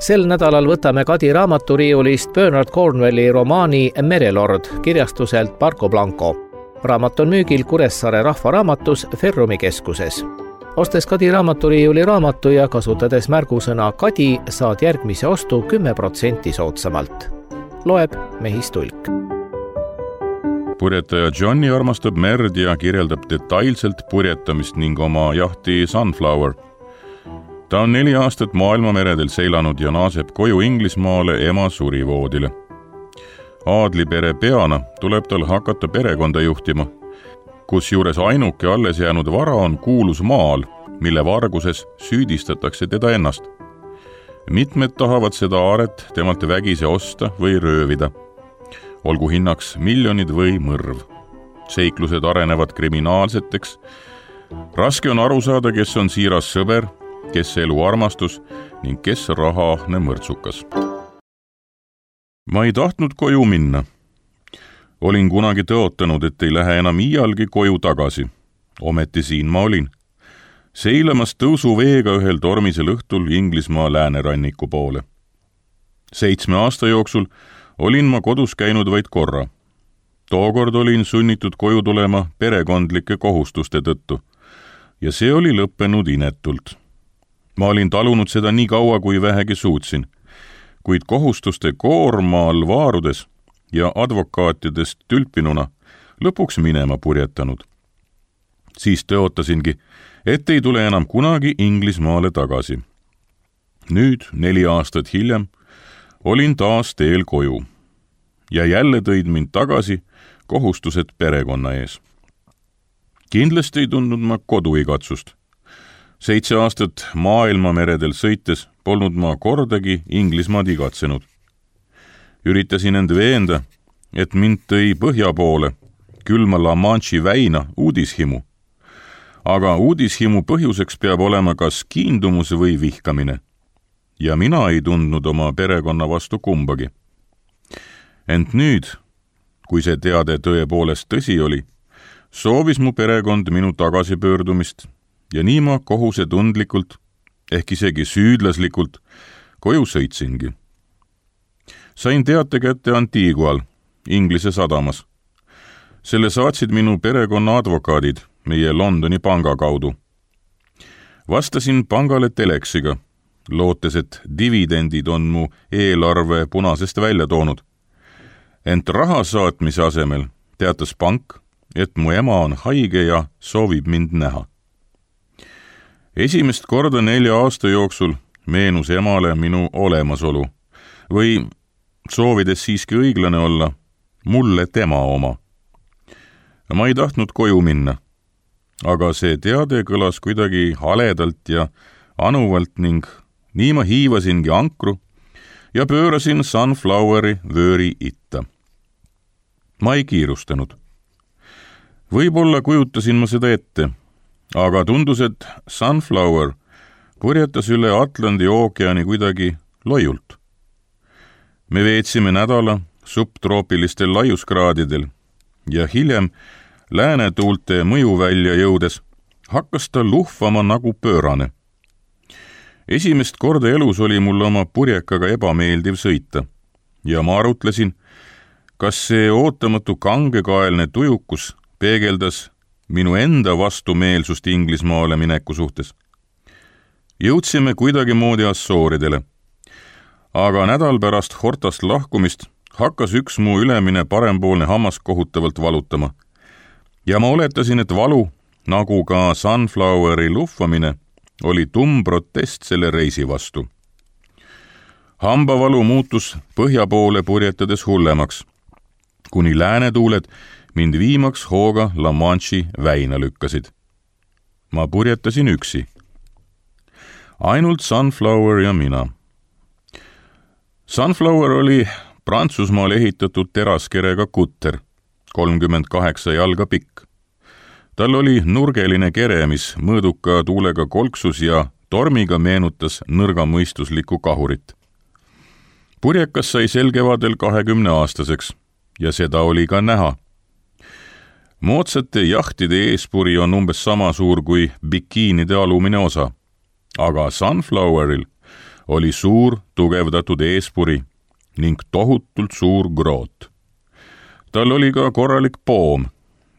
Sel nädalal võtame Kadi raamaturiiulist Bernard Cornwelli romaani Merelord kirjastuselt Parco Blanco. Raamat on müügil Kuressaare rahvaraamatus Ferrumi keskuses. Ostes Kadi raamaturiiuli raamatu ja kasutades märgusõna Kadi, saad järgmise ostu 10% soodsamalt. Loeb Mehis Tulk. Purjetaja Johnny armastab merd ja kirjeldab detailselt purjetamist ning oma jahti Sunflower. Ta on 4 aastat maailmameredel seilanud ja naaseb koju Inglismaale ema surivoodile. Aadlipere peana tuleb tal hakata perekonda juhtima, kusjuures ainuke alles jäänud vara on kuulus maal, mille varguses süüdistatakse teda ennast. Mitmed tahavad seda aaret temalt vägise osta või röövida. Olgu hinnaks miljonid või mõrv. Seiklused arenevad kriminaalseteks. Raske on aru saada, kes on siiras sõber, kes elu armastus ning kes rahaahne mõrtsukas. Ma ei tahtnud koju minna. Olin kunagi tõotanud, et ei lähe enam iialgi koju tagasi. Ometi siin ma olin. Seilamas tõusuveega ühel tormisel õhtul Inglismaa lääneranniku poole. 7 aasta jooksul olin ma kodus käinud vaid korra. Tookord olin sunnitud koju tulema perekondlike kohustuste tõttu ja see oli lõppenud inetult. Ma olin talunud seda nii kaua, kui vähegi suutsin, kuid kohustuste koorma all vaarudes ja advokaatidest tülpinuna lõpuks minema purjetanud. Siis tõotasingi, et ei tule enam kunagi Inglismaale tagasi. Nüüd, 4 aastat hiljem, olin taas teel koju ja jälle tõid mind tagasi kohustused perekonna ees. Kindlasti ei tundnud ma koduigatsust. 7 aastat maailmameredel sõites polnud ma kordagi Inglismaad igatsenud. Üritasin end veenda, et mind tõi põhja poole, külma La Manche'i väina uudishimu. Aga uudishimu põhjuseks peab olema kas kiindumus või vihkamine. Ja mina ei tundnud oma perekonna vastu kumbagi. Ent nüüd, kui see teade tõepoolest tõsi oli, soovis mu perekond minu tagasipöördumist ja nii ma kohusetundlikult, ehk isegi süüdlaslikult, koju sõitsingi. Sain teate kätte Antigual, Inglise sadamas. Selle saatsid minu perekonna advokaadid meie Londoni panga kaudu. Vastasin pangale teleksiga, lootes, et dividendid on mu eelarve punasest välja toonud. Ent raha saatmise asemel teatas pank, et mu ema on haige ja soovib mind näha. Esimest korda 4 aasta jooksul meenus emale minu olemasolu või, soovides siiski õiglane olla, mulle tema oma. Ma ei tahtnud koju minna, aga see teade kõlas kuidagi haledalt ja anuvalt ning nii ma hiivasingi ankru ja pöörasin Sunfloweri vööri itta. Ma ei kiirustanud. Võib-olla kujutasin ma seda ette, aga tundus, et Sunflower purjetas üle Atlandi ookeani kuidagi loiult. Me veetsime nädala subtroopilistel laiuskraadidel ja hiljem läänetuulte mõjuvälja jõudes hakkas ta luhvama nagu pöörane. Esimest korda elus oli mul oma purjekaga ebameeldiv sõita ja ma arutlesin, kas see ootamatu kangekaelne tujukus peegeldas minu enda vastumeelsust Inglismaale mineku suhtes. Jõudsime kuidagi moodi Assooridele, aga nädal pärast Hortast lahkumist hakkas üks mu ülemine parempoolne hammas kohutavalt valutama ja ma oletasin, et valu, nagu ka Sunfloweri luhvamine, oli tumm protest selle reisi vastu. Hambavalu muutus põhja poole purjetades hullemaks, kuni läänetuuled mind viimaks hooga La Manche'i väina lükkasid. Ma purjetasin üksi. Ainult Sunflower ja mina. Sunflower oli Prantsusmaal ehitatud teraskerega kutter, 38 jalga pikk. Tal oli nurgeline kere, mis mõõduka tuulega kolksus ja tormiga meenutas nõrgamõistuslikku kahurit. Purjekas sai sel kevadel 20-aastaseks ja seda oli ka näha. Moodsate jahtide eespuri on umbes sama suur kui bikiinide alumine osa, aga Sunfloweril oli suur tugevdatud eespuri ning tohutult suur groot. Tal oli ka korralik poom,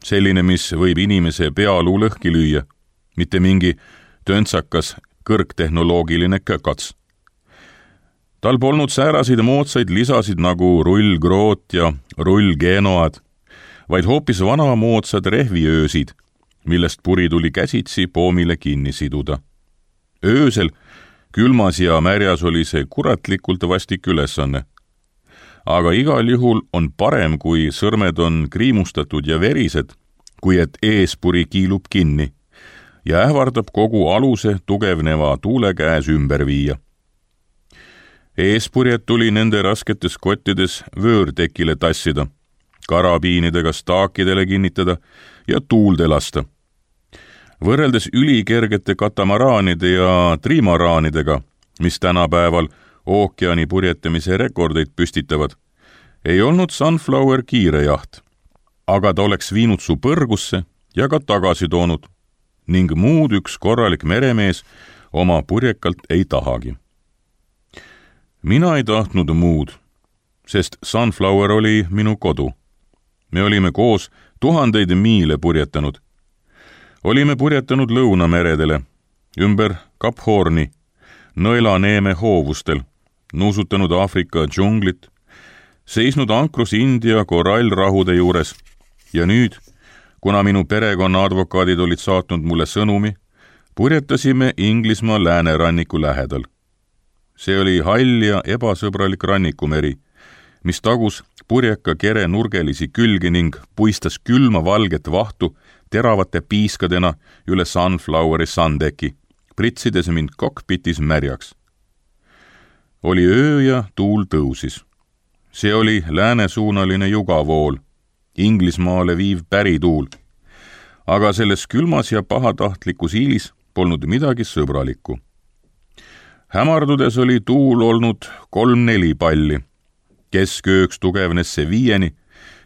selline, mis võib inimese pealuu lõhki lüüa, mitte mingi töntsakas kõrgtehnoloogiline kökats. Tal polnud sääraseid moodsaid lisasid nagu rullgroot ja rullgenoad, vaid hoopis vanamoodsad rehviöösid, millest puri tuli käsitsi poomile kinni siduda. Öösel, külmas ja märjas oli see kuratlikult vastik ülesanne. Aga igal juhul on parem, kui sõrmed on kriimustatud ja verised, kui et eespuri kiilub kinni ja ähvardab kogu aluse tugevneva tuule käes ümber viia. Eespurjed tuli nende rasketes kottides vöörtekile tassida, karabiinidega staakidele kinnitada ja tuulde lasta. Võrreldes ülikergete katamaraanide ja trimaraanidega, mis tänapäeval ookeani purjetamise rekordeid püstitavad, ei olnud Sunflower kiire jaht, aga ta oleks viinud su põrgusse ja ka tagasi toonud ning muud üks korralik meremees oma purjekalt ei tahagi. Mina ei tahtnud muud, sest Sunflower oli minu kodu. Me olime koos 1000 miile purjetanud. Olime purjetanud lõunameredele, ümber Kap Horni, Nõelaneeme hoovustel, nuusutanud Aafrika džunglit, seisnud ankrus India korallrahude juures ja nüüd, kuna minu perekonna advokaadid olid saatnud mulle sõnumi, purjetasime Inglismaa lääneranniku lähedal. See oli hall ja ebasõbralik rannikumeri, mis tagus purjeka kere nurgelisi külgi ning puistas külma valget vahtu teravate piiskadena üle Sunfloweri sandeki, pritsides mind kokpitis märjaks. Oli öö ja tuul tõusis. See oli läänesuunaline jugavool, Inglismaale viiv pärituul, aga selles külmas ja pahatahtlikus iilis polnud midagi sõbralikku. Hämardudes oli tuul olnud 3-4 palli, keskööks tugevnes see 5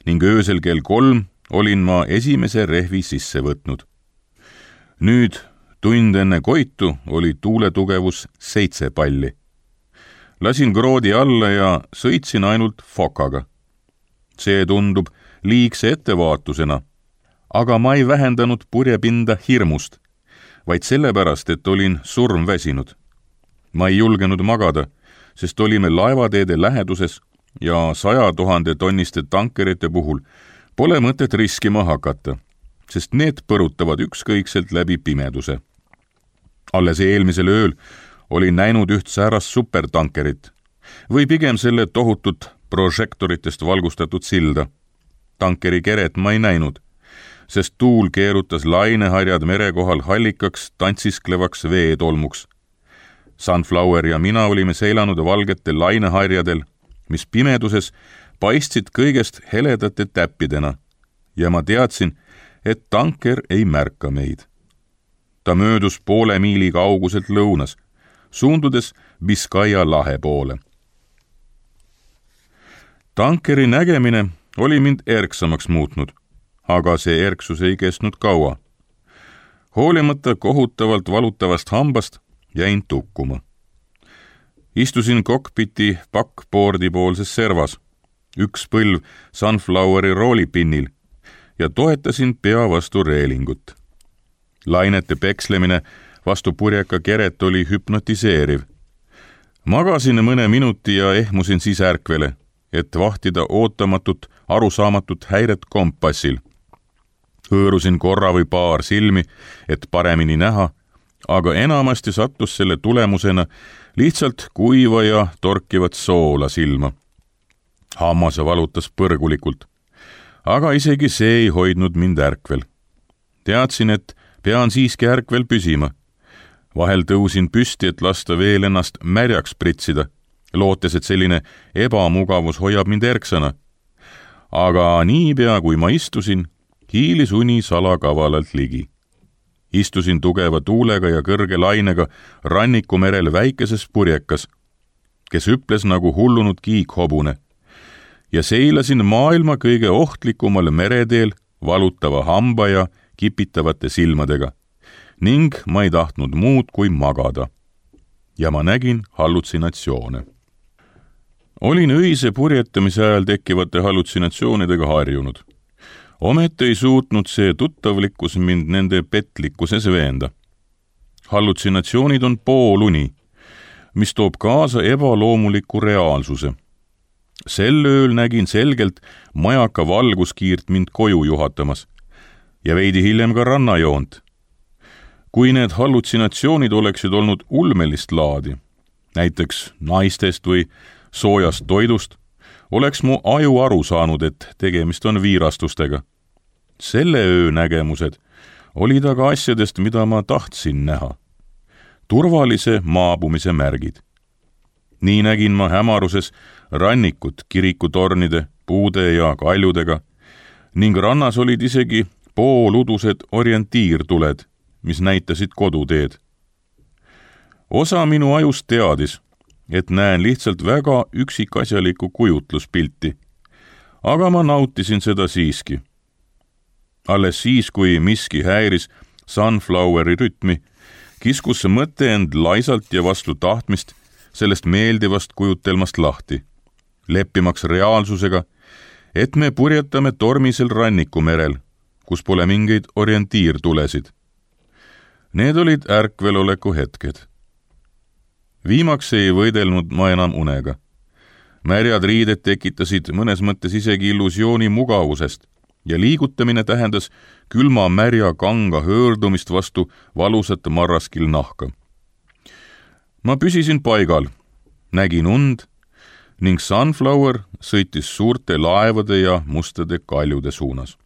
ning öösel kell 3 olin ma esimese rehvi sisse võtnud. Nüüd, tund enne koitu, oli tuule tugevus 7 palli. Lasin kroodi alla ja sõitsin ainult fokaga. See tundub liigse ettevaatusena, aga ma ei vähendanud purjepinda hirmust, vaid sellepärast, et olin surmväsinud. Ma ei julgenud magada, sest olime laevateede läheduses ja 100 000 tonniste tankerite puhul pole mõtet riskima hakata, sest need põrutavad ükskõikselt läbi pimeduse. Alles eelmisel ööl olin näinud üht säärast supertankerit või pigem selle tohutut prožektoritest valgustatud silda. Tankeri keret ma ei näinud, sest tuul keerutas laineharjad mere kohal hallikaks tantsisklevaks veetolmuks. Sunflower ja mina olime seilanud valgetel laineharjadel, mis pimeduses paistsid kõigest heledate täppidena ja ma teadsin, et tanker ei märka meid. Ta möödus 0,5 miili kauguselt lõunas, suundudes Biskaia lahe poole. Tankeri nägemine oli mind erksamaks muutnud, aga see erksus ei kestnud kaua. Hoolimata kohutavalt valutavast hambast jäin tukkuma. Istusin kokpiti backboardi poolses servas, üks põlv Sunfloweri roolipinnil ja toetasin pea vastu reelingut. Lainete pekslemine vastu purjeka keret oli hüpnotiseeriv. Magasin mõne minuti ja ehmusin siis ärkvele, et vahtida ootamatut, arusaamatut häiret kompassil. Hõõrusin korra või paar silmi, et paremini näha, aga enamasti sattus selle tulemusena lihtsalt kuiva ja torkivat soola silma. Hammas valutas põrgulikult, aga isegi see ei hoidnud mind ärkvel. Teadsin, et pean siiski ärkvel püsima. Vahel tõusin püsti, et lasta veel ennast märjaks pritsida, lootes, et selline ebamugavus hoiab mind erksana. Aga niipea, kui ma istusin, hiilis uni salakavalalt ligi. Istusin tugeva tuulega ja kõrge lainega rannikumerel väikeses purjekas, kes hüples nagu hullunud kiikhobune, ja seilasin maailma kõige ohtlikumal mereteel valutava hamba ja kipitavate silmadega ning ma ei tahtnud muud kui magada. ja ma nägin hallutsinatsioone. Olin öise purjetamise ajal tekkivate hallutsinatsioonidega harjunud. Ometi ei suutnud see tuttavlikkus mind nende petlikkuses veenda. Hallutsinatsioonid on pooluni, mis toob kaasa ebaloomuliku reaalsuse. Sel ööl nägin selgelt majaka valguskiirt mind koju juhatamas ja veidi hiljem ka rannajoont. Kui need hallutsinatsioonid oleksid olnud ulmelist laadi, näiteks naistest või soojast toidust, oleks mu aju aru saanud, et tegemist on viirastustega. Selle öö nägemused olid aga asjadest, mida ma tahtsin näha. Turvalise maabumise märgid. Nii nägin ma hämaruses rannikut kirikutornide, puude ja kaljudega ning rannas olid isegi pooludused orientiirtuled, mis näitasid koduteed. Osa minu ajust teadis, et näen lihtsalt väga üksikasjalikku kujutluspilti, aga ma nautisin seda siiski. Alles siis, kui miski häiris Sunfloweri rütmi, kiskus see mõte end laisalt ja vastu tahtmist sellest meeldivast kujutelmast lahti, leppimaks reaalsusega, et me purjetame tormisel rannikumerel, kus pole mingeid orientiirtulesid. Need olid ärkveloleku hetked. Viimaks ei võidelnud ma enam unega. Märjad riided tekitasid mõnes mõttes isegi illusiooni mugavusest ja liigutamine tähendas külma märja kanga höördumist vastu valusat marraskil nahka. Ma püsisin paigal, nägin und ning Sunflower sõitis suurte laevade ja mustade kaljude suunas.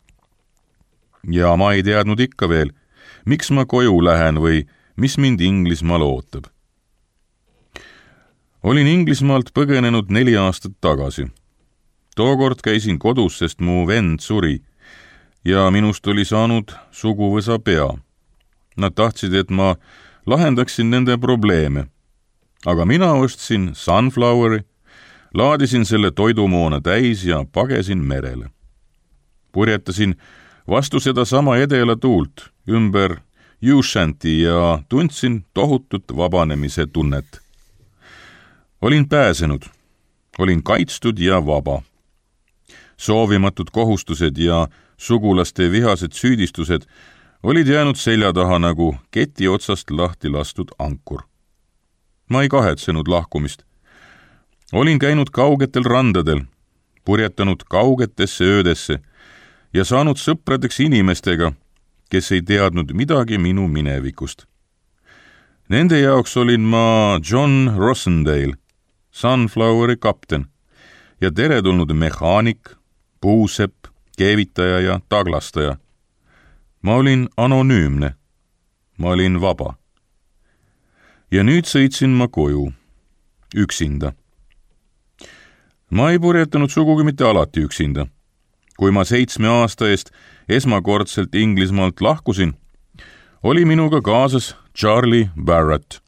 Ja ma ei teadnud ikka veel, miks ma koju lähen või mis mind Inglismaal ootab. Olin Inglismaalt põgenenud 4 aastat tagasi. Tookord käisin kodus, sest mu vend suri ja minust oli saanud suguvõsa pea. Nad tahtsid, et ma lahendaksin nende probleeme. Aga mina ostsin Sunfloweri, laadisin selle toidumoona täis ja pagesin merele. Purjetasin vastu seda sama edela tuult ümber Ushanti ja tundsin tohutut vabanemise tunnet. Olin pääsenud, olin kaitstud ja vaba. Soovimatud kohustused ja sugulaste vihased süüdistused olid jäänud selja taha nagu keti otsast lahti lastud ankur. Ma ei kahetsenud lahkumist. Olin käinud kaugetel randadel, purjetanud kaugetesse öödesse ja saanud sõpradeks inimestega, kes ei teadnud midagi minu minevikust. Nende jaoks olin ma John Rossendale, Sunfloweri kapten ja teretulnud mehaanik, puusepp, keevitaja ja taglastaja. Ma olin anonüümne. Ma olin vaba. Ja nüüd sõitsin ma koju, üksinda. Ma ei purjetanud sugugi mitte alati üksinda. Kui ma 7 aasta eest esmakordselt Inglismaalt lahkusin, oli minuga kaasas Charlie Barrett.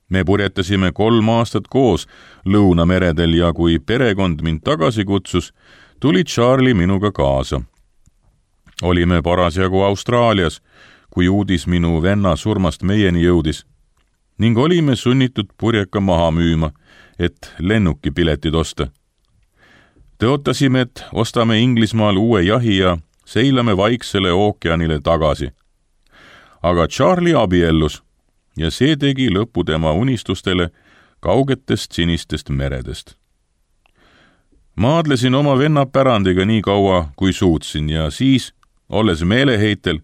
Me purjetasime 3 aastat koos Lõunameredel ja kui perekond mind tagasi kutsus, tuli Charlie minuga kaasa. Olime parasjagu Austraalias, kui uudis minu venna surmast meieni jõudis ning olime sunnitud purjeka maha müüma, et lennukipiletid osta. Tõotasime, et ostame Inglismaal uue jahi ja seilame Vaiksele ookeanile tagasi. Aga Charlie abiellus ja see tegi lõpu tema unistustele kaugetest sinistest meredest. Maadlesin oma venna pärandiga nii kaua, kui suutsin ja siis, olles meeleheitel,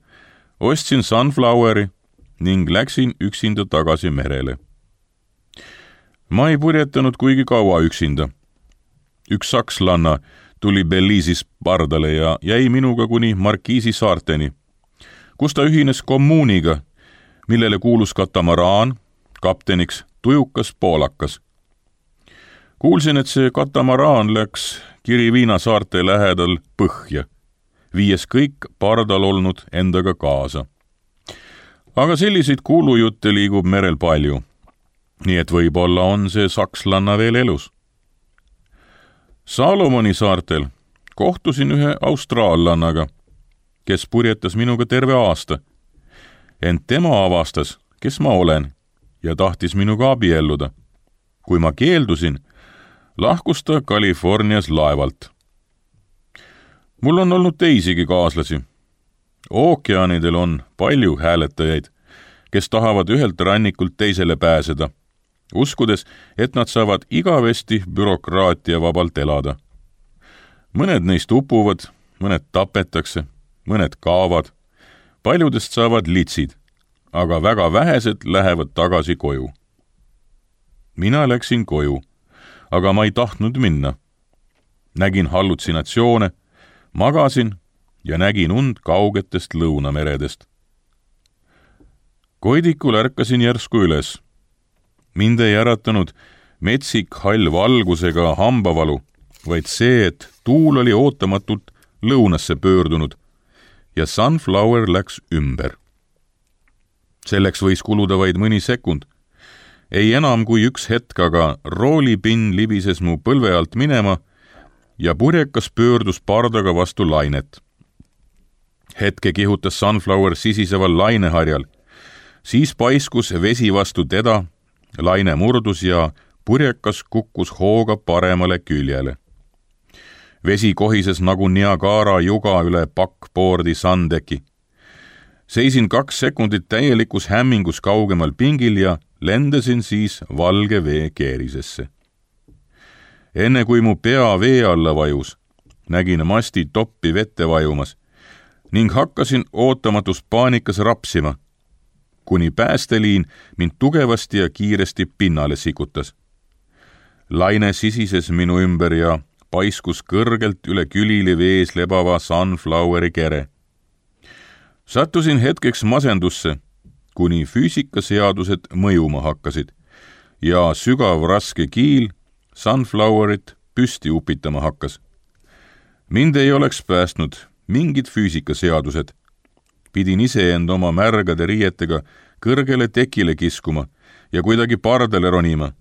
ostsin Sunfloweri ning läksin üksinda tagasi merele. Ma ei purjetanud kuigi kaua üksinda. Üks sakslanna tuli Belize'is pardale ja jäi minuga kuni Markiisi saarteni, kus ta ühines kommuuniga, millele kuulus katamaraan, kapteniks tujukas poolakas. Kuulsin, et see katamaraan läks Kiriviina saarte lähedal põhja, viies kõik pardal olnud endaga kaasa. Aga selliseid kuulujutte liigub merel palju, nii et võib-olla on see sakslanna veel elus. Salomoni saartel kohtusin ühe austraallannaga, kes purjetas minuga terve aasta. Ent tema avastas, kes ma olen ja tahtis minuga abielluda. kui ma keeldusin, lahkus ta Californias laevalt. mul on olnud teisigi kaaslasi. ookeanidel on palju hääletajaid, kes tahavad ühelt rannikult teisele pääseda, uskudes, et nad saavad igavesti bürokraatia vabalt elada. mõned neist upuvad, mõned tapetakse, mõned kaovad, paljudest saavad litsid, aga väga vähesed lähevad tagasi koju. mina läksin koju, aga ma ei tahtnud minna. nägin hallutsinatsioone, magasin ja nägin und kaugetest lõunameredest. Koidikul ärkasin järsku üles. mind ei äratanud metsik hall valgusega hambavalu, vaid see, et tuul oli ootamatult lõunasse pöördunud ja Sunflower läks ümber. Selleks võis kuluda vaid mõni sekund. Ei enam kui üks hetk, aga roolipinn libises mu põlve alt minema ja purjekas pöördus pardaga vastu lainet. Hetke kihutas Sunflower sisiseval laineharjal, siis paiskus vesi vastu teda, laine murdus ja purjekas kukkus hooga paremale küljele. Vesi kohises nagu Niagara juga üle pakkboordi sandeki. Seisin 2 sekundit täielikus hämmingus kaugemal pingil ja lendasin siis valge vee keerisesse. Enne kui mu pea vee alla vajus, nägin masti toppi vette vajumas ning hakkasin ootamatust paanikas rapsima, kuni päästeliin mind tugevasti ja kiiresti pinnale sikutas. Laine sisises minu ümber ja paiskus kõrgelt üle külili vees lebava Sunfloweri kere. Sattusin hetkeks masendusse, kuni füüsikaseadused mõjuma hakkasid ja sügav raske kiil Sunflowerit püsti upitama hakkas. Mind ei oleks päästnud mingid füüsikaseadused. Pidin iseend oma märgade riietega kõrgele tekile kiskuma ja kuidagi pardale ronima.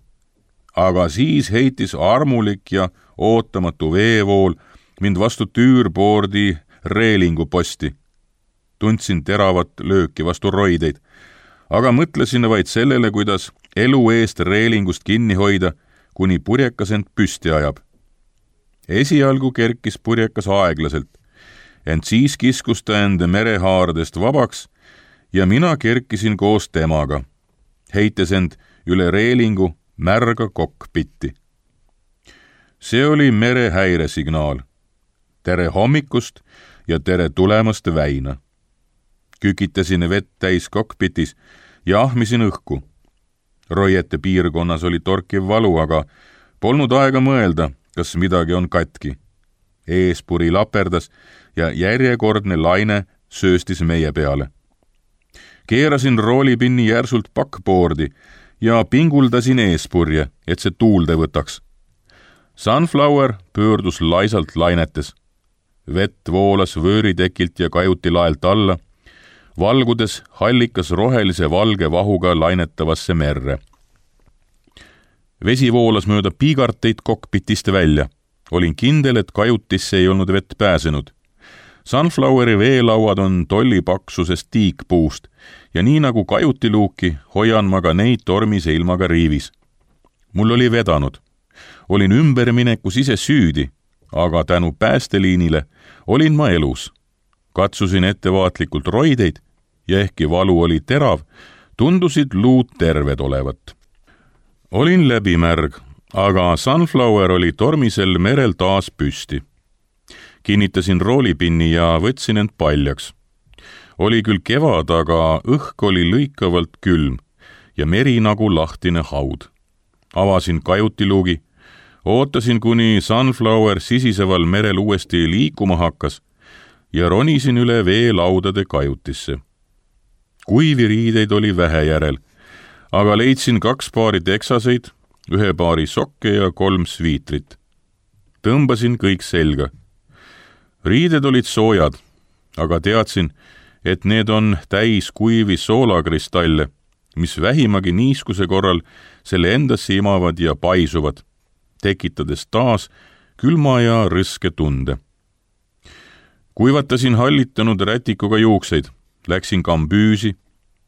Aga siis heitis armulik ja ootamatu veevool mind vastu tüürboordi reelingu posti. Tundsin teravat lööki vastu roideid, aga mõtlesin vaid sellele, kuidas elu eest reelingust kinni hoida, kuni purjekas end püsti ajab. Esialgu kerkis purjekas aeglaselt, ent siis kiskus ta end merehaardest vabaks ja mina kerkisin koos temaga, heites end üle reelingu märga kokpitti. See oli merehäiresignaal. Tere hommikust ja tere tulemast väina. Kükitasin vett täis kokpitis ja ahmisin õhku. Roiete piirkonnas oli torkiv valu, aga polnud aega mõelda, kas midagi on katki. Eespuri laperdas ja järjekordne laine sööstis meie peale. Keerasin roolipinni järsult pakkboordi ja pinguldasin eespurje, et see tuulde võtaks. Sunflower pöördus laisalt lainetes. Vett voolas vööritekilt ja kajuti laelt alla, valgudes hallikas rohelise valge vahuga lainetavasse merre. Vesi voolas mööda piigarteid kokpitist välja. Olin kindel, et kajutisse ei olnud vett pääsenud. Sunfloweri veelauad on tollipaksusest tiikpuust ja nii nagu kajutiluuki hoian ma ka neid tormise ilmaga riivis. Mul oli vedanud. Olin ümberminekus ise süüdi, aga tänu päästeliinile olin ma elus. Katsusin ettevaatlikult roideid ja ehkki valu oli terav, tundusid luud terved olevat. Olin läbimärg, aga Sunflower oli tormisel merel taas püsti. Kinnitasin roolipinni ja võtsin end paljaks. Oli küll kevad, aga õhk oli lõikavalt külm ja meri nagu lahtine haud. Avasin kajutiluugi, ootasin, kuni Sunflower sisiseval merel uuesti liikuma hakkas ja ronisin üle veelaudade kajutisse. Kuivi riideid oli vähe järel, aga leidsin 2 paari teksaseid, 1 paari sokke ja 3 sviitrit. Tõmbasin kõik selga. Riided olid soojad, aga teadsin, et need on täis kuivi soolakristalle, mis vähimagi niiskuse korral selle endasse imavad ja paisuvad, tekitades taas külma ja rõske tunde. Kuivatasin hallitanud rätikuga juukseid, läksin kambüüsi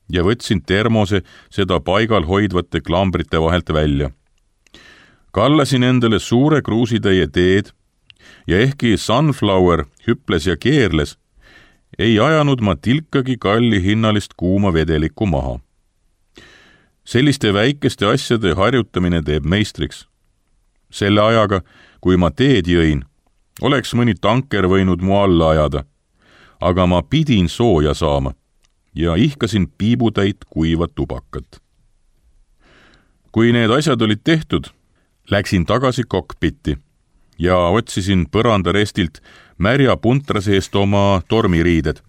ja võtsin termose seda paigal hoidvate klambrite vahelt välja. Kallasin endale suure kruusitäie teed ja ehkki Sunflower hüples ja keerles, ei ajanud ma tilkagi kalli hinnalist kuuma vedelikku maha. Selliste väikeste asjade harjutamine teeb meistriks. Selle ajaga, kui ma teed jõin, oleks mõni tanker võinud mu alla ajada, aga ma pidin sooja saama ja ihkasin piibutäit kuiva tubakat. Kui need asjad olid tehtud, läksin tagasi kokpitti ja otsisin põrandarestilt märja puntra seest oma tormiriided.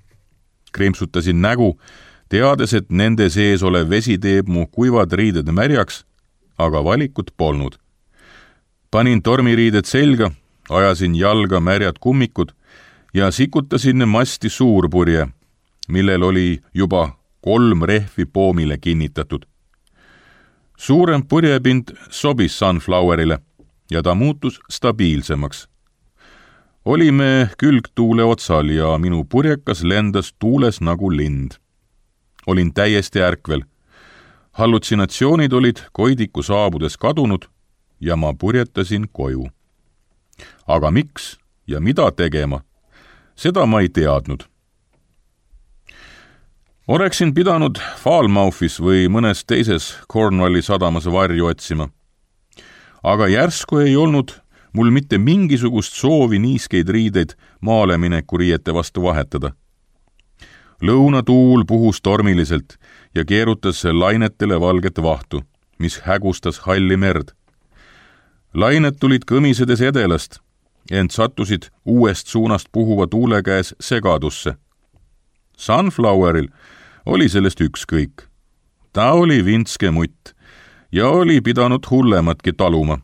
Krimpsutasin nägu, teades, et nende sees olev vesi teeb mu kuivad riided märjaks, aga valikut polnud. Panin tormiriided selga, ajasin jalga märjad kummikud ja sikutasin masti suurpurje, millel oli juba 3 rehvi poomile kinnitatud. Suurem purjepind sobis Sunflowerile ja ta muutus stabiilsemaks. Olime külgtuule otsal ja minu purjekas lendas tuules nagu lind. Olin täiesti ärkvel. Hallutsinatsioonid olid Koidiku saabudes kadunud ja ma purjetasin koju. Aga miks ja mida tegema, seda ma ei teadnud. Oleksin pidanud Falmouthis või mõnes teises Cornwalli sadamas varju otsima. Aga järsku ei olnud mul mitte mingisugust soovi niiskeid riideid maalemineku riiete vastu vahetada. Lõunatuul puhus tormiliselt ja keerutas lainetele valget vahtu, mis hägustas halli merd. Lained tulid kõmisedes edelast, ent sattusid uuest suunast puhuva tuule käes segadusse. Sunfloweril oli sellest ükskõik. Ta oli vintske mutt ja oli pidanud hullematki taluma.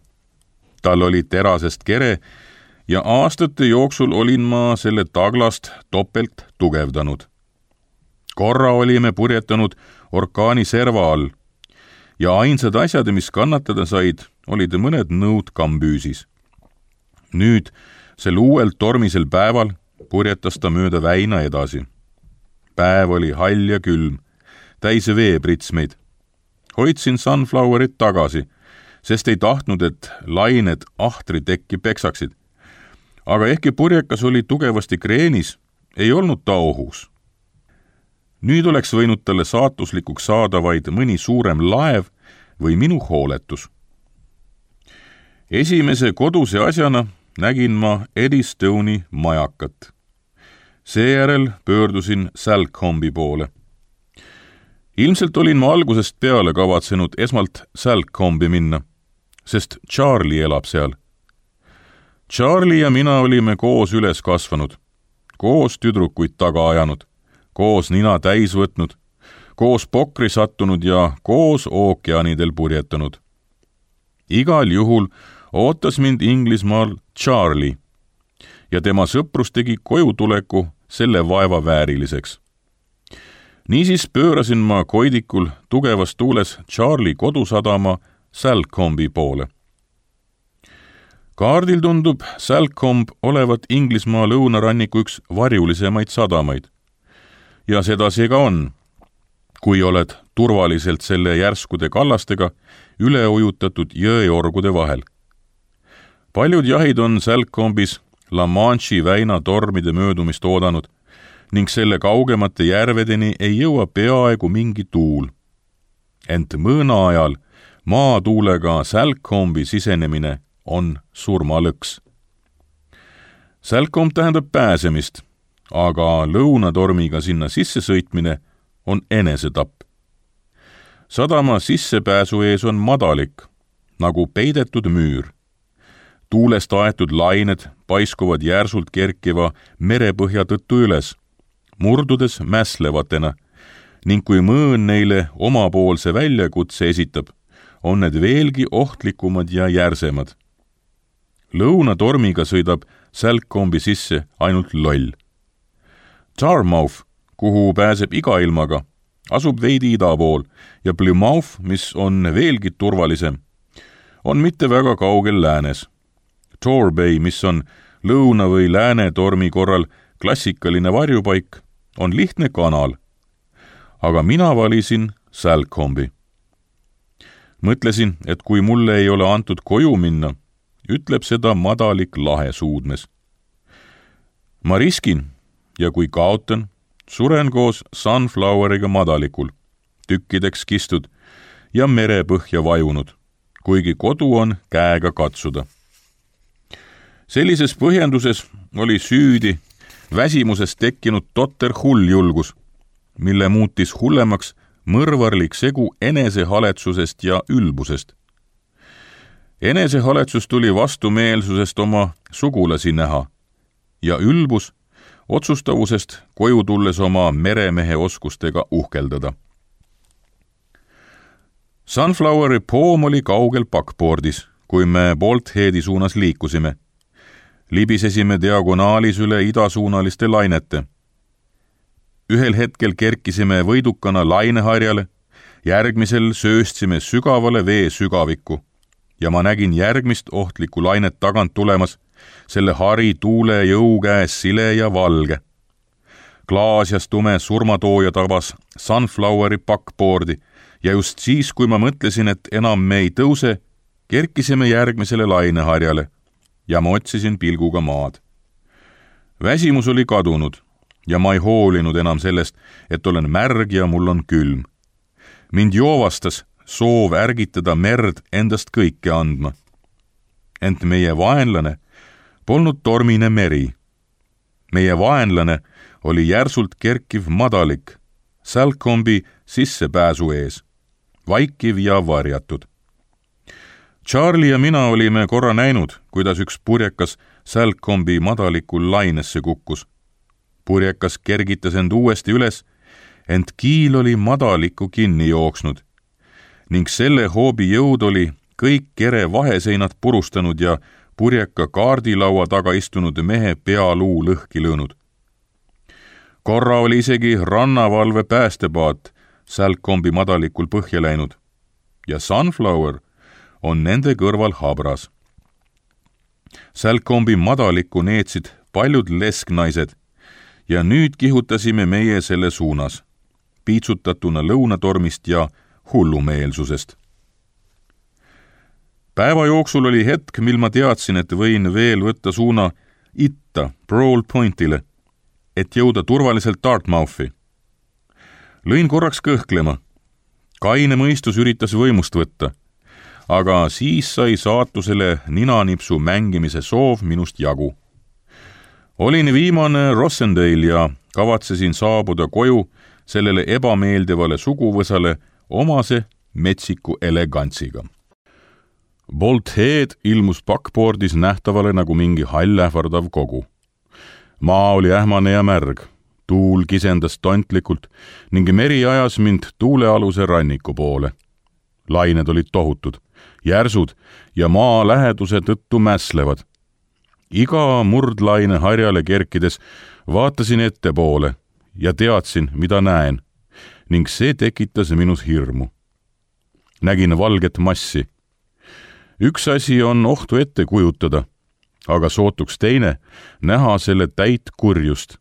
Tal oli terasest kere ja aastate jooksul olin ma selle taglast topelt tugevdanud. Korra olime purjetanud orkaani serva all ja ainsad asjad, mis kannatada said, olid mõned nõud kambüüsis. Nüüd, sel uuel tormisel päeval, purjetas ta mööda väina edasi. Päev oli hall ja külm, täis veepritsmeid. Hoidsin Sunflowerit tagasi, sest ei tahtnud, et lained ahtri tekki peksaksid. Aga ehkki purjekas oli tugevasti kreenis, ei olnud ta ohus. Nüüd oleks võinud talle saatuslikuks saada vaid mõni suurem laev või minu hooletus. Esimese koduse asjana nägin ma Eddistone'i majakat. Seejärel pöördusin Salcombe poole. Ilmselt olin ma algusest peale kavatsenud esmalt Salcombe minna, sest Charlie elab seal. Charlie ja mina olime koos üles kasvanud, koos tüdrukuid taga ajanud, koos nina täis võtnud, koos pokri sattunud ja koos ookeanidel purjetanud. Igal juhul ootas mind Inglismaal Charlie ja tema sõprus tegi kojutuleku selle vaeva vääriliseks. Niisiis pöörasin ma Koidikul tugevas tuules Charlie kodusadama Salcombe poole. Kaardil tundub Salcombe olevat Inglismaa lõunaranniku üks varjulisemaid sadamaid. Ja seda see ka on, kui oled turvaliselt selle järskude kallastega üle ujutatud jõeorgude vahel. Paljud jahid on Salcombis La Manche'i väina tormide möödumist oodanud ning selle kaugemate järvedeni ei jõua peaaegu mingi tuul. Ent mõõna ajal maatuulega Salcombe sisenemine on surmalõks. Salcombe tähendab pääsemist, aga lõunatormiga sinna sisse sõitmine on enesetapp. Sadama sissepääsu ees on madalik, nagu peidetud müür. Tuulest aetud lained paiskuvad järsult kerkiva merepõhja tõttu üles, murdudes mäslevatena, ning kui mõõn neile omapoolse väljakutse esitab, on need veelgi ohtlikumad ja järsemad. Lõunatormiga sõidab Salcombe sisse ainult loll. Tarmouth, kuhu pääseb iga ilmaga, asub veidi ida pool ja Plymouth, mis on veelgi turvalisem, on mitte väga kaugel läänes. Torbay, mis on lõuna- või lääne tormi korral klassikaline varjupaik, on lihtne kanal. aga mina valisin Salcombe'i. Mõtlesin, et kui mulle ei ole antud koju minna, ütleb seda madalik lahe suudmes. Ma riskin ja kui kaotan, suren koos Sunfloweriga madalikul, tükkideks kistud ja merepõhja vajunud, kuigi kodu on käega katsuda. Sellises põhjenduses oli süüdi väsimusest tekkinud totter hulljulgus, mille muutis hullemaks mõrvarlik segu enesehaletsusest ja ülbusest. Enesehaletsus tuli vastumeelsusest oma sugulasi näha ja ülbus otsustavusest koju tulles oma meremehe oskustega uhkeldada. Sunfloweri poom oli kaugel backboardis, kui me Boltheadi suunas liikusime. Libisesime diagonaalis üle idasuunaliste lainete. Ühel hetkel kerkisime võidukana laineharjale, järgmisel sööstsime sügavale vee sügavikku ja ma nägin järgmist ohtlikku lainet tagant tulemas, selle hari tuule jõu käes sile ja valge. Klaasjas tume surmatooja tabas Sunfloweri backboardi ja just siis, kui ma mõtlesin, et enam me ei tõuse, kerkisime järgmisele laineharjale ja ma otsisin pilguga maad. Väsimus oli kadunud ja ma ei hoolinud enam sellest, et olen märg ja mul on külm. Mind joovastas soov ärgitada merd endast kõike andma. Ent meie vaenlane polnud tormine meri. Meie vaenlane oli järsult kerkiv madalik, Salcombe'i sissepääsu ees, vaikiv ja varjatud. Charlie ja mina olime korra näinud, kuidas üks purjekas Salcombe'i madalikul lainesse kukkus. Purjekas kergitas end uuesti üles, ent kiil oli madalikku kinni jooksnud ning selle hoobi jõud oli kõik kere vaheseinad purustanud ja purjeka kaardilaua taga istunud mehe pealuu lõhki lõõnud. Korra oli isegi rannavalve päästepaat Salcombe'i madalikul põhja läinud ja Sunflower on nende kõrval habras. Salcombe'i madalikku neetsid paljud lesknaised ja nüüd kihutasime meie selle suunas, piitsutatuna lõunatormist ja hullumeelsusest. Päeva jooksul oli hetk, mil ma teadsin, et võin veel võtta suuna itta Broad Pointile, et jõuda turvaliselt Dartmouthi. Lõin korraks kõhklema. Kaine mõistus üritas võimust võtta, aga siis sai saatusele ninanipsu mängimise soov minust jagu. Olin viimane Rossendale ja kavatsesin saabuda koju sellele ebameeldivale suguvõsale omase metsiku elegantsiga. Bolthead ilmus backboardis nähtavale nagu mingi hallähvardav kogu. Maa oli ähmane ja märg, tuul kisendas tontlikult ning meri ajas mind tuulealuse ranniku poole. Lained olid tohutud, järsud ja maa läheduse tõttu mäslevad. Iga murdlaine harjale kerkides vaatasin ettepoole ja teadsin, mida näen, ning see tekitas minus hirmu. Nägin valget massi. Üks asi on ohtu ette kujutada, aga sootuks teine näha selle täit kurjust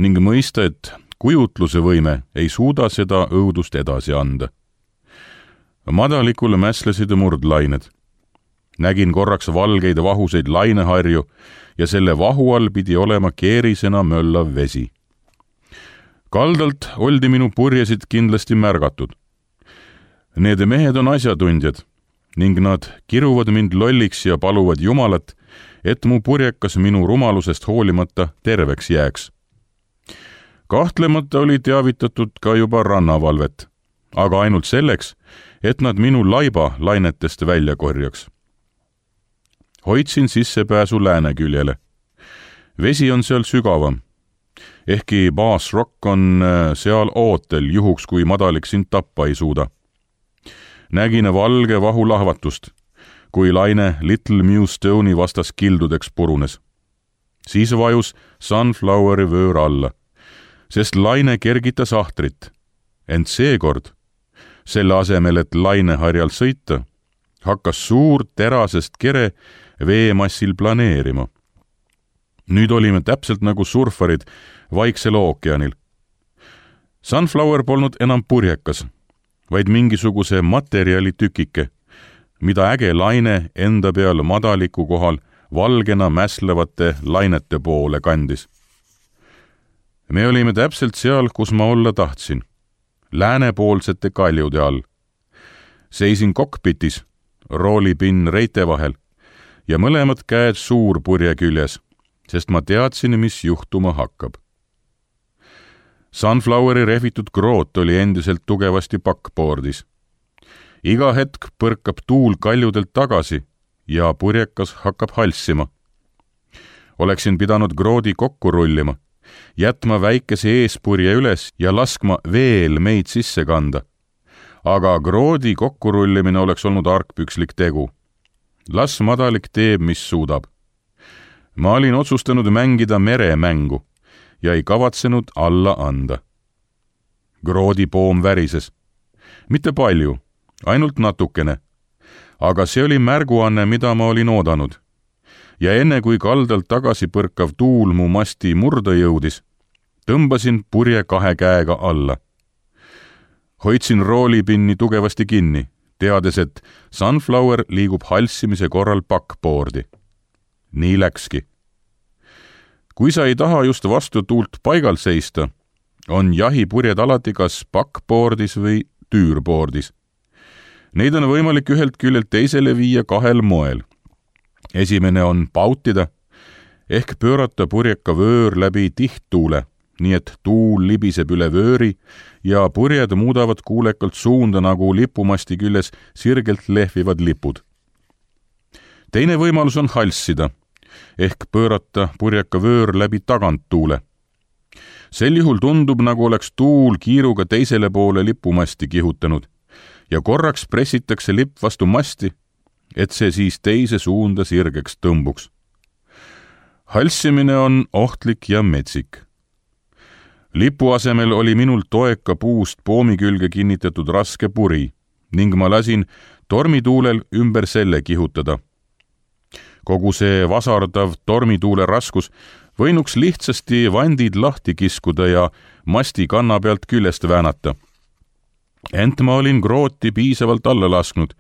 ning mõista, et kujutluse võime ei suuda seda õudust edasi anda. Madalikule mäslesid murdlained. Nägin korraks valgeid vahuseid laineharju ja selle vahu all pidi olema keerisena möllav vesi. Kaldalt oldi minu purjesid kindlasti märgatud. Need mehed on asjatundjad ning nad kiruvad mind lolliks ja paluvad Jumalat, et mu purjekas minu rumalusest hoolimata terveks jääks. Kahtlemata oli teavitatud ka juba rannavalvet, aga ainult selleks, et nad minu laiba lainetest välja korjaks. Hoidsin sissepääsu lääneküljele. Vesi on seal sügavam. Ehkki Bass Rock on seal ootel juhuks, kui madalik sind tappa ei suuda. Nägin valge vahu lahvatust, kui laine Little Mew Stone'i vastas kildudeks purunes. Siis vajus Sunfloweri vöör alla, sest laine kergitas ahtrit. Ent seekord, selle asemel, et laineharjal sõita, hakkas suur terasest kere veemassil planeerima. Nüüd olime täpselt nagu surfarid Vaiksel ookeanil. Sunflower polnud enam purjekas, vaid mingisuguse materjali tükike, mida äge laine enda peal madaliku kohal valgena mäslevate lainete poole kandis. Me olime täpselt seal, kus ma olla tahtsin, läänepoolsete kaljude all. Seisin kokpitis, roolipinn reite vahel ja mõlemad käed suurpurje küljes, sest ma teadsin, mis juhtuma hakkab. Sunfloweri rehvitud kroot oli endiselt tugevasti backboardis. Iga hetk põrkab tuul kaljudelt tagasi ja purjekas hakkab halssima. Oleksin pidanud kroodi kokku rullima, jätma väikese eespurje üles ja laskma veel meid sisse kanda. Aga kroodi kokkurullimine oleks olnud argpükslik tegu. Las madalik teeb, mis suudab. Ma olin otsustanud mängida meremängu ja ei kavatsenud alla anda. Kroodi poom värises. Mitte palju, ainult natukene. Aga see oli märguanne, mida ma olin oodanud. Ja enne kui kaldalt tagasi põrkav tuul mu masti murda jõudis, tõmbasin purje 2 käega alla. Hoidsin roolipinni tugevasti kinni, teades, et Sunflower liigub halssimise korral backboardi. Nii läkski. Kui sa ei taha just vastu tuult paigal seista, on jahipurjed alati kas backboardis või tüürboardis. Neid on võimalik ühelt küljelt teisele viia 2 moel. Esimene on pautida, ehk pöörata purjeka vöör läbi tihttuule, nii et tuul libiseb üle vööri ja purjed muudavad kuulekalt suunda nagu lipumasti küljes sirgelt lehvivad lipud. Teine võimalus on halssida, ehk pöörata purjeka vöör läbi taganttuule. Sel juhul tundub, nagu oleks tuul kiiruga teisele poole lipumasti kihutanud ja korraks pressitakse lipp vastu masti, et see siis teise suunda sirgeks tõmbuks. Halssimine on ohtlik ja metsik. Lipu asemel oli minul toeka puust poomi külge kinnitatud raske puri ning ma lasin tormituulel ümber selle kihutada. Kogu see vasardav tormituule raskus võinuks lihtsasti vandid lahti kiskuda ja masti kanna pealt küljest väänata. Ent ma olin krooti piisavalt alla lasknud,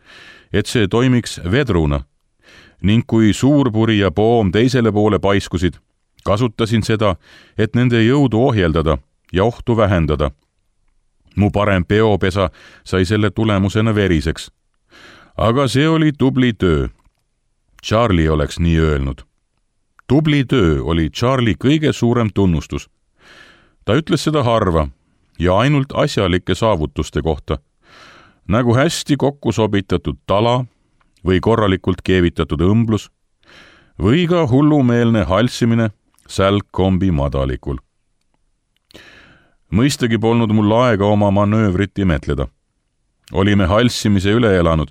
et see toimiks vedruna ning kui suurpuri ja poom teisele poole paiskusid, kasutasin seda, et nende jõudu ohjeldada ja ohtu vähendada. Mu parem peopesa sai selle tulemusena veriseks. Aga see oli tubli töö. Charlie oleks nii öelnud. Tubli töö oli Charlie kõige suurem tunnustus. Ta ütles seda harva ja ainult asjalike saavutuste kohta, nagu hästi kokku sobitatud tala või korralikult keevitatud õmblus või ka hullumeelne halssimine sälgkombi madalikul. Mõistagi polnud mul aega oma manöövrit imetleda. Olime halssimise üle elanud,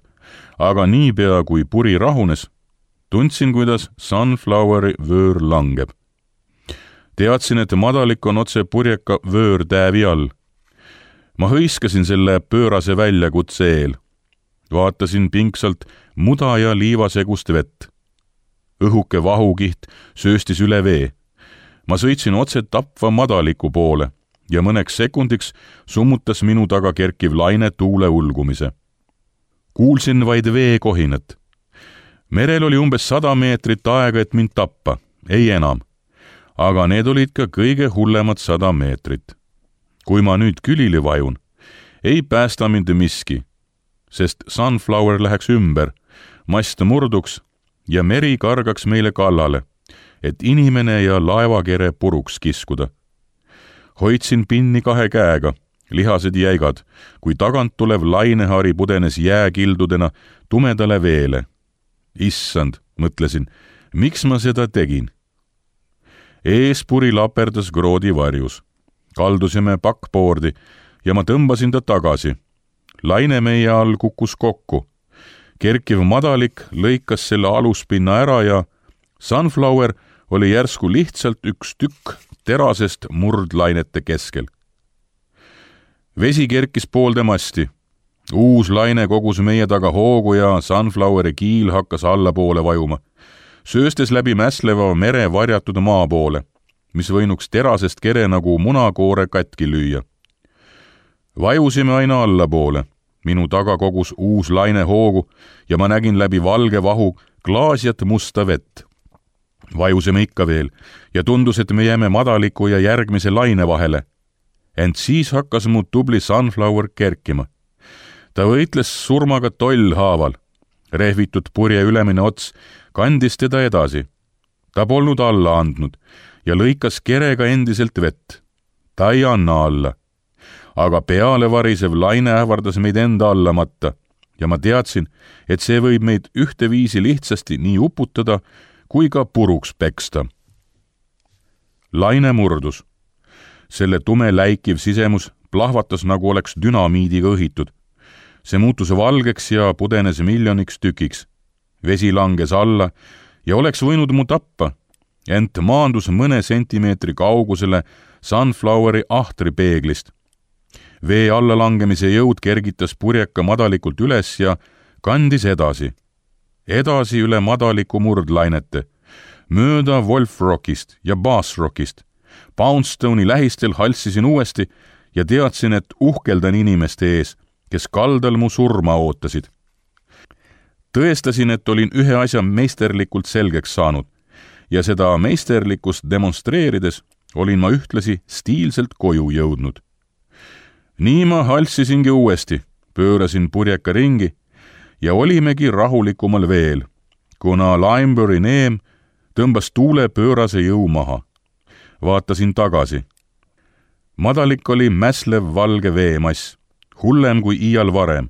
aga niipea kui puri rahunes, tundsin, kuidas Sunfloweri vöör langeb. Teadsin, et madalik on otse purjeka vöörtäävi all. Ma hõiskasin selle pöörase väljakutse eel. Vaatasin pingsalt muda ja liivasegust vett. Õhuke vahukiht sööstis üle vee. Ma sõitsin otse tapva madaliku poole ja mõneks sekundiks summutas minu taga kerkiv laine tuule ulgumise. Kuulsin vaid veekohinat. Merel oli umbes 100 meetrit aega, et mind tappa, ei enam. Aga need olid ka kõige hullemad 100 meetrit. Kui ma nüüd külili vajun, ei päästa mind miski, sest Sunflower läheks ümber, mast murduks ja meri kargaks meile kallale, et inimene ja laevakere puruks kiskuda. Hoidsin pinni 2 käega, lihased jäigad, kui tagant tulev lainehari pudenes jääkildudena tumedale veele. Issand, mõtlesin, miks ma seda tegin? Eespuri laperdas kroodi varjus. Kaldusime backboardi ja ma tõmbasin ta tagasi. Laine meie all kukkus kokku. Kerkiv madalik lõikas selle aluspinna ära ja Sunflower oli järsku lihtsalt üks tükk terasest murdlainete keskel. Vesi kerkis poolde masti. Uus laine kogus meie taga hoogu ja Sunfloweri kiil hakkas allapoole vajuma, sööstes läbi mäsleva mere varjatud maa poole, mis võinuks terasest kere nagu munakoore katki lüüa. Vajusime aina allapoole. Minu taga kogus uus laine hoogu ja ma nägin läbi valge vahu klaasjat musta vett. Vajusime ikka veel ja tundus, et me jääme madaliku ja järgmise laine vahele. Ent siis hakkas mu tubli Sunflower kerkima. Ta võitles surmaga tollhaaval. Rehvitud purje ülemine ots kandis teda edasi. Ta polnud alla andnud ja lõikas kerega endiselt vett. Ta ei anna alla. Aga peale varisev laine ähvardas meid enda alla matta ja ma teadsin, et see võib meid ühteviisi lihtsasti nii uputada kui ka puruks peksta. Laine murdus. Selle tume läikiv sisemus plahvatas, nagu oleks dünamiidiga õhitud. See muutus valgeks ja pudenes miljoniks tükiks. Vesi langes alla ja oleks võinud mu tappa, ent maandus mõne sentimeetri kaugusele Sunfloweri ahtri peeglist. Vee allalangemise jõud kergitas purjeka madalikult üles ja kandis edasi. Edasi üle madaliku murdlainete, mööda Wolfrockist ja Bassrockist. Poundstone'i lähistel halssisin uuesti ja teadsin, et uhkeldan inimeste ees, kes kaldal mu surma ootasid. Tõestasin, et olin ühe asja meisterlikult selgeks saanud ja seda meisterlikkust demonstreerides olin ma ühtlasi stiilselt koju jõudnud. Nii ma halssisingi uuesti, pöörasin purjeka ringi ja olimegi rahulikumal veel, kuna Limebury neem tõmbas tuule pöörase jõu maha. Vaatasin tagasi. Madalik oli mäslev valge veemass, hullem kui iial varem,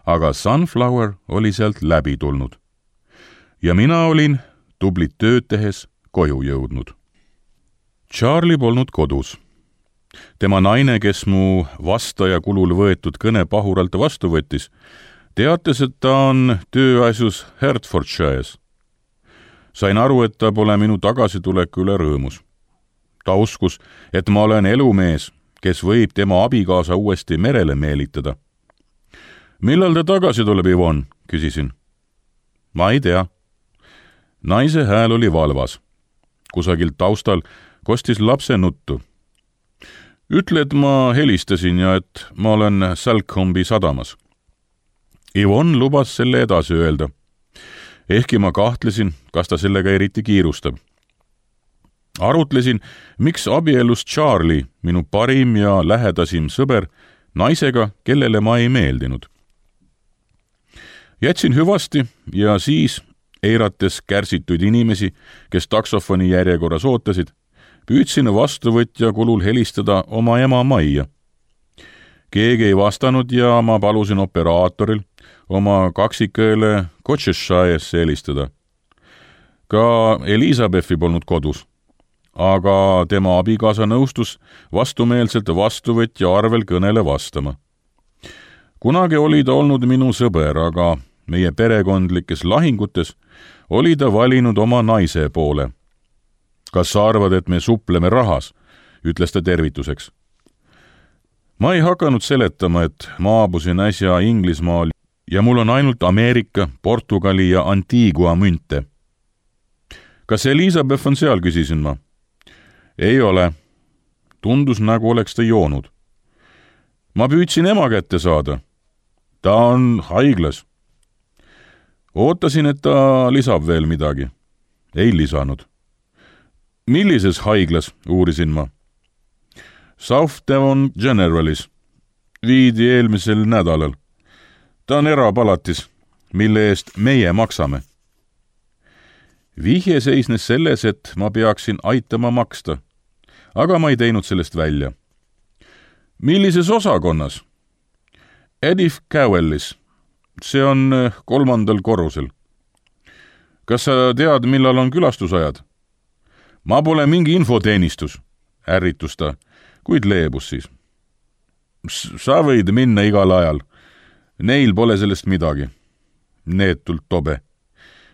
aga Sunflower oli sealt läbi tulnud. Ja mina olin tublit tööd tehes koju jõudnud. Charlie polnud kodus. Tema naine, kes mu vastaja kulul võetud kõne pahuralt vastu võttis, teatas, et ta on tööasjus Hertfordshire's. Sain aru, et ta pole minu tagasituleku üle rõõmus. Ta uskus, et ma olen elumees, kes võib tema abikaasa uuesti merele meelitada. Millal ta tagasi tuleb, Yvonne? Küsisin. Ma ei tea. Naise hääl oli valvas. Kusagilt taustal kostis lapse nuttu. Ütle, et ma helistasin ja et ma olen Salcombe sadamas. Yvonne lubas selle edasi öelda. Ehkki ma kahtlesin, kas ta sellega eriti kiirustab. Arutlesin, miks abiellus Charlie, minu parim ja lähedasim sõber, naisega, kellele ma ei meeldinud. Jätsin hüvasti ja siis, eirates kärsituid inimesi, kes taksofoni järjekorras ootasid, püüdsin vastuvõtja kulul helistada oma ema majja. Keegi ei vastanud ja ma palusin operaatoril oma kaksikõele Colcheshire'sse helistada. Ka Elizabethi polnud kodus, aga tema abikaasa nõustus vastumeelselt vastuvõtja arvel kõnele vastama. Kunagi oli ta olnud minu sõber, aga meie perekondlikes lahingutes oli ta valinud oma naise poole. Kas sa arvad, et me supleme rahas, ütles ta tervituseks. Ma ei hakanud seletama, et maabusin äsja Inglismaal ja mul on ainult Ameerika, Portugali ja Antigua münte. Kas Elizabeth on seal, küsisin ma. Ei ole. Tundus, nagu oleks ta joonud. Ma püüdsin ema kätte saada. Ta on haiglas. Ootasin, et ta lisab veel midagi. Ei lisanud. Millises haiglas, uurisin ma. South Devon Generalis. Viidi eelmisel nädalal. Ta on erapalatis, mille eest meie maksame. Vihje seisnes selles, et ma peaksin aitama maksta, aga ma ei teinud sellest välja. Millises osakonnas? Edith Cowellis. See on 3. korrusel. Kas sa tead, millal on külastusajad? Ma pole mingi infoteenistus, ärritus ta, kuid leebus siis. Sa võid minna igal ajal. Neil pole sellest midagi. Neetult tobe.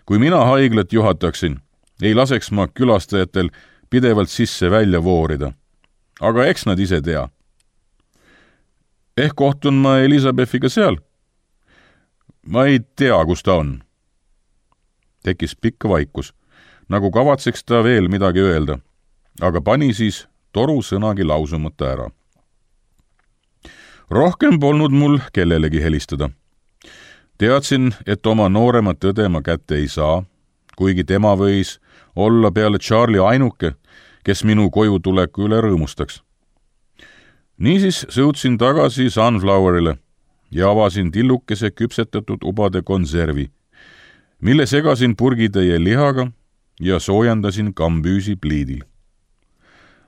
Kui mina haiglat juhataksin, ei laseks ma külastajatel pidevalt sisse-välja voorida. Aga eks nad ise tea. Ehk kohtun ma Elizabethiga seal? Ma ei tea, kus ta on. Tekkis pikk vaikus, nagu kavatseks ta veel midagi öelda, aga pani siis toru sõnagi lausumata ära. Rohkem polnud mul kellelegi helistada. Teadsin, et oma nooremat õde ma kätte ei saa, kuigi tema võis olla peale Charlie ainuke, kes minu koju tuleku üle rõõmustaks. Niisiis sõudsin tagasi Sunflowerile ja avasin tillukese küpsetatud ubade konservi, mille segasin purgitäie lihaga ja soojendasin kambüüsi pliidil.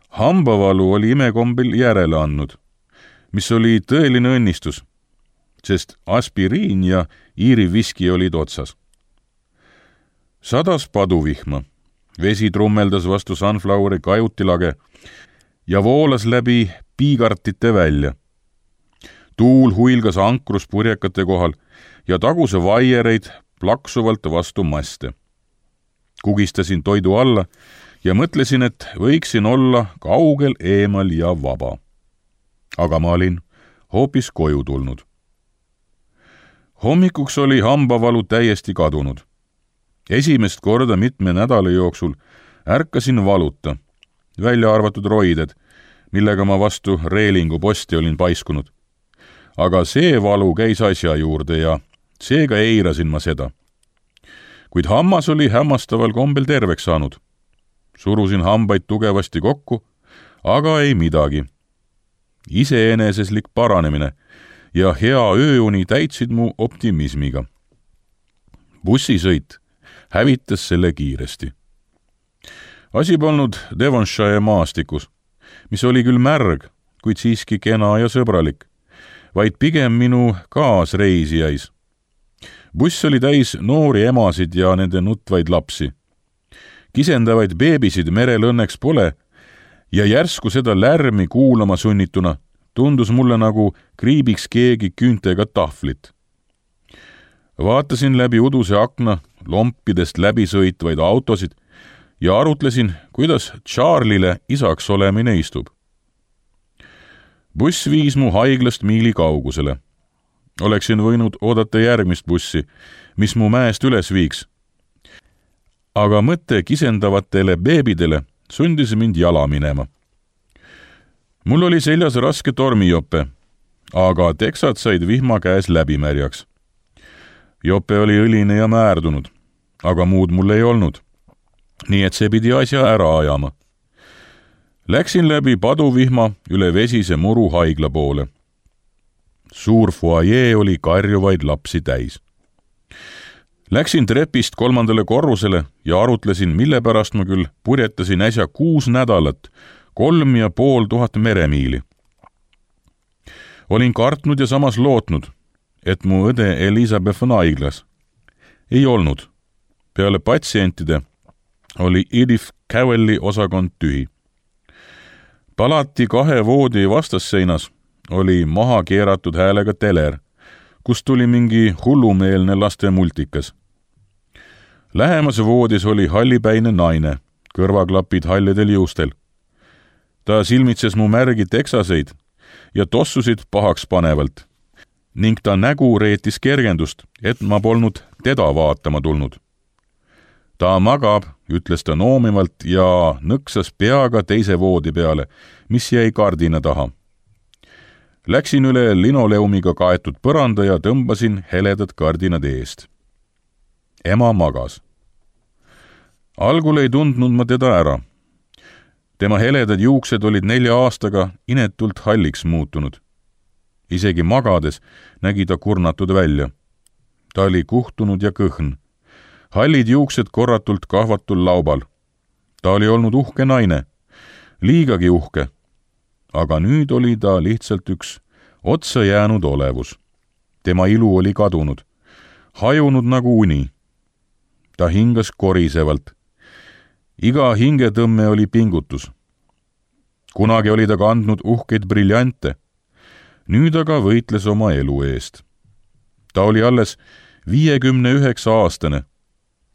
Hambavalu oli imekombel järele andnud, mis oli tõeline õnnistus, sest aspiriin ja Iiri viski olid otsas. Sadas paduvihma, vesi trummeldas vastu Sunfloweri kajutilage ja voolas läbi piigartite välja. Tuul huilgas ankrus purjekate kohal ja taguse vaiereid plaksuvalt vastu maste. Kugistasin toidu alla ja mõtlesin, et võiksin olla kaugel eemal ja vaba. Aga ma olin hoopis koju tulnud. Hommikuks oli hambavalu täiesti kadunud. Esimest korda mitme nädala jooksul ärkasin valuta, välja arvatud roided, millega ma vastu reelingu posti olin paiskunud. Aga see valu käis asja juurde ja seega eirasin ma seda. Kuid hammas oli hämmastaval kombel terveks saanud. Surusin hambaid tugevasti kokku, aga ei midagi. Iseeneseslik paranemine ja hea ööuni täitsid mu optimismiga. Bussisõit hävitas selle kiiresti. Asi polnud Devonshire maastikus, mis oli küll märg, kuid siiski kena ja sõbralik, vaid pigem minu kaasreisijais. Buss oli täis noori emasid ja nende nutvaid lapsi. Kisendavaid beebisid merel õnneks pole ja järsku seda lärmi kuulama sunnituna tundus mulle nagu kriibiks keegi küüntega tahvlit. Vaatasin läbi uduse akna lompidest läbi sõitvaid autosid ja arutlesin, kuidas Charlie'le isaks olemine istub. Buss viis mu haiglast miili kaugusele. Oleksin võinud oodata järgmist bussi, mis mu mäest üles viiks. Aga mõte kisendavatele beebidele sundis mind jala minema. Mul oli seljas raske tormijope, aga teksad said vihma käes läbimärjaks. Jope oli õline ja määrdunud, aga muud mul ei olnud, nii et see pidi asja ära ajama. Läksin läbi paduvihma üle vesise muru haigla poole. Suur foajee oli karjuvaid lapsi täis. Läksin trepist 3. korrusele ja arutlesin, mille pärast ma küll purjetasin äsja 6 nädalat 3500 meremiili. Olin kartnud ja samas lootnud, et mu õde Elizabeth on haiglas. Ei olnud. Peale patsientide oli Edith Cavell'i osakond tühi. Palati 2 voodi vastasseinas oli maha keeratud häälega teler, kust tuli mingi hullumeelne laste multikas. Lähemas voodis oli hallipäine naine, kõrvaklapid hallidel juustel. Ta silmitses mu märgi teksaseid ja tossusid pahaks panevalt ning ta nägu reetis kergendust, et ma polnud teda vaatama tulnud. Ta magab, ütles ta noomivalt ja nõksas peaga teise voodi peale, mis jäi kardina taha. Läksin üle linoleumiga kaetud põranda ja tõmbasin heledad kardinad eest. Ema magas. Algul ei tundnud ma teda ära. Tema heledad juuksed olid 4 aastaga inetult halliks muutunud. Isegi magades nägi ta kurnatud välja. Ta oli kuhtunud ja kõhn. Hallid juuksed korratult kahvatul laubal. Ta oli olnud uhke naine, liigagi uhke, aga nüüd oli ta lihtsalt üks otsa jäänud olevus. Tema ilu oli kadunud, hajunud nagu uni. Ta hingas korisevalt. Iga hingetõmme oli pingutus. Kunagi oli ta kandnud uhkeid briljante, nüüd aga võitles oma elu eest. Ta oli alles 59-aastane,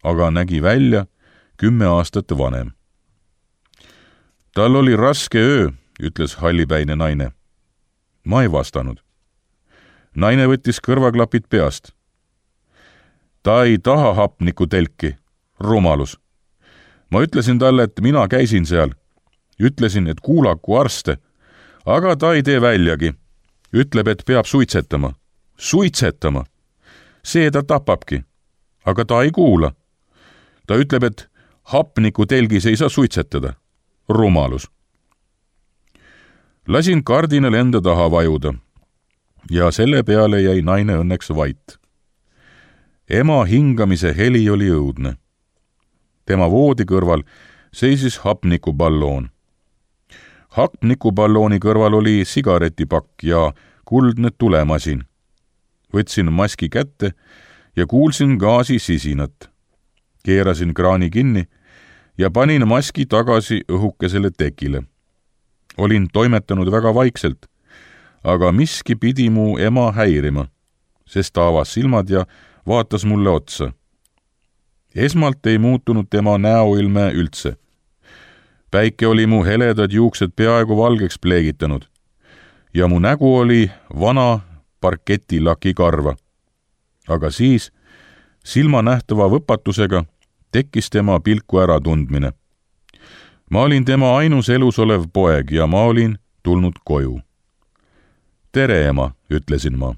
aga nägi välja 10 aastat vanem. Tal oli raske öö, ütles hallipäine naine. Ma ei vastanud. Naine võttis kõrvaklapid peast. Ta ei taha hapnikutelki, rumalus. Ma ütlesin talle, et mina käisin seal. Ütlesin, et kuulaku arste, aga ta ei tee väljagi. ütleb, et peab suitsetama. Suitsetama! See ta tapabki. Aga ta ei kuula. Ta ütleb, et hapniku telgis ei saa suitsetada. Rumalus. Lasin kardinal enda taha vajuda ja selle peale jäi naine õnneks vait. Ema hingamise heli oli õudne. Tema voodi kõrval seisis hapnikuballoon. Hapnikuballooni kõrval oli sigaretipakk ja kuldne tulemasin. Võtsin maski kätte ja kuulsin gaasi sisinat. Keerasin kraani kinni ja panin maski tagasi õhukesele tekile. Olin toimetanud väga vaikselt, aga miski pidi mu ema häirima, sest ta avas silmad ja vaatas mulle otsa. Esmalt ei muutunud tema näoilme üldse. Päike oli mu heledad juuksed peaaegu valgeks pleegitanud ja mu nägu oli vana parketilaki karva. Aga siis, silmanähtava võpatusega, tekkis tema pilku ära tundmine. Ma olin tema ainus elus olev poeg ja ma olin tulnud koju. Tere, ema, ütlesin ma.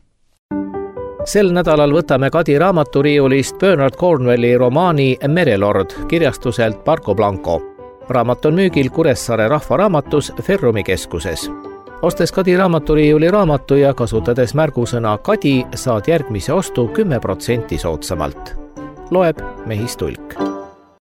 Sel nädalal võtame Kadi raamaturiiulist Bernard Cornwelli romaani Merelord kirjastuselt Parco Blanco. Raamat on müügil Kuressaare rahvaraamatus Ferrumi keskuses. Ostes Kadi raamaturiiuli raamatu ja kasutades märgusõna Kadi, saad järgmise ostu 10% soodsamalt. Loeb Mehis Tulk.